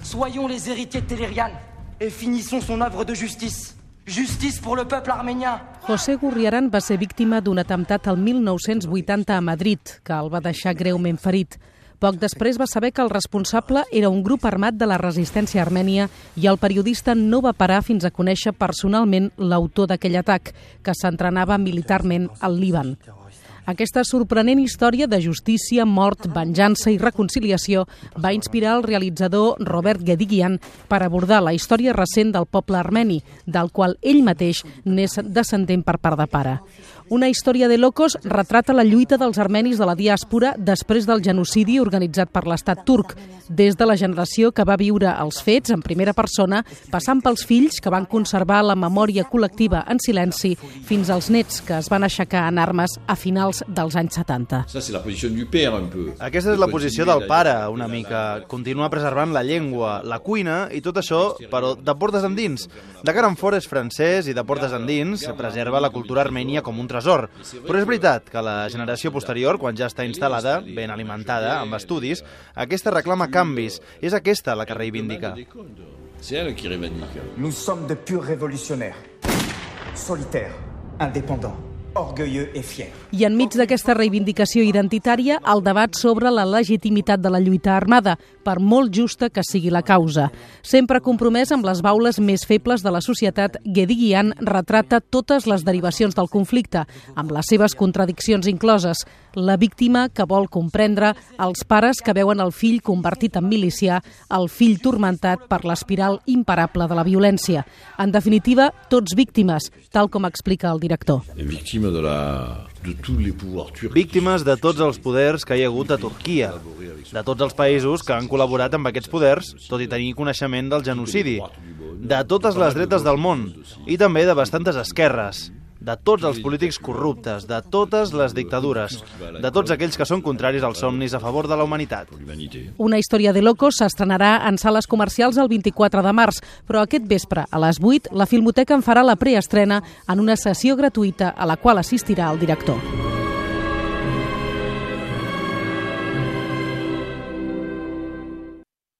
Soyons les héritiers de Télérian et finissons son œuvre de justice. Justice pour le peuple arménien. José Gurriaran va ser víctima d'un atemptat el 1980 a Madrid, que el va deixar greument ferit. Poc després va saber que el responsable era un grup armat de la resistència armènia i el periodista no va parar fins a conèixer personalment l'autor d'aquell atac, que s'entrenava militarment al Líban. Aquesta sorprenent història de justícia, mort, venjança i reconciliació va inspirar el realitzador Robert Guédiguian per abordar la història recent del poble armeni, del qual ell mateix n'és descendent per part de pare. Una història de locos retrata la lluita dels armenis de la diàspora després del genocidi organitzat per l'estat turc, des de la generació que va viure els fets en primera persona, passant pels fills que van conservar la memòria col·lectiva en silenci, fins als nets que es van aixecar en armes a finals dels anys 70. Aquesta és la posició del pare, una mica. Continuar preservant la llengua, la cuina i tot això, però de portes endins. De cara enfora és francès i de portes endins preserva la cultura armènia com un tresor. Però és veritat que la generació posterior, quan ja està instal·lada, ben alimentada, amb estudis, aquesta reclama canvis. És aquesta la que reivindica. Nous sommes de purs révolutionnaires, solitaires, indépendants, orgueilleux et fiers. I enmig d'aquesta reivindicació identitària, el debat sobre la legitimitat de la lluita armada, per molt justa que sigui la causa. Sempre compromès amb les baules més febles de la societat, Guédiguian retrata totes les derivacions del conflicte, amb les seves contradiccions incloses. La víctima que vol comprendre, els pares que veuen el fill convertit en milicià, el fill turmentat per l'espiral imparable de la violència. En definitiva, tots víctimes, tal com explica el director. Víctimes de tots els poders que hi ha hagut a Turquia, de tots els països que han col·laborat amb aquests poders, tot i tenir coneixement del genocidi, de totes les dretes del món i també de bastantes esquerres, de tots els polítics corruptes, de totes les dictadures, de tots aquells que són contraris als somnis a favor de la humanitat. Una història de locos s'estrenarà en sales comercials el 24 de març, però aquest vespre, a les 8, la Filmoteca en farà la preestrena en una sessió gratuïta a la qual assistirà el director.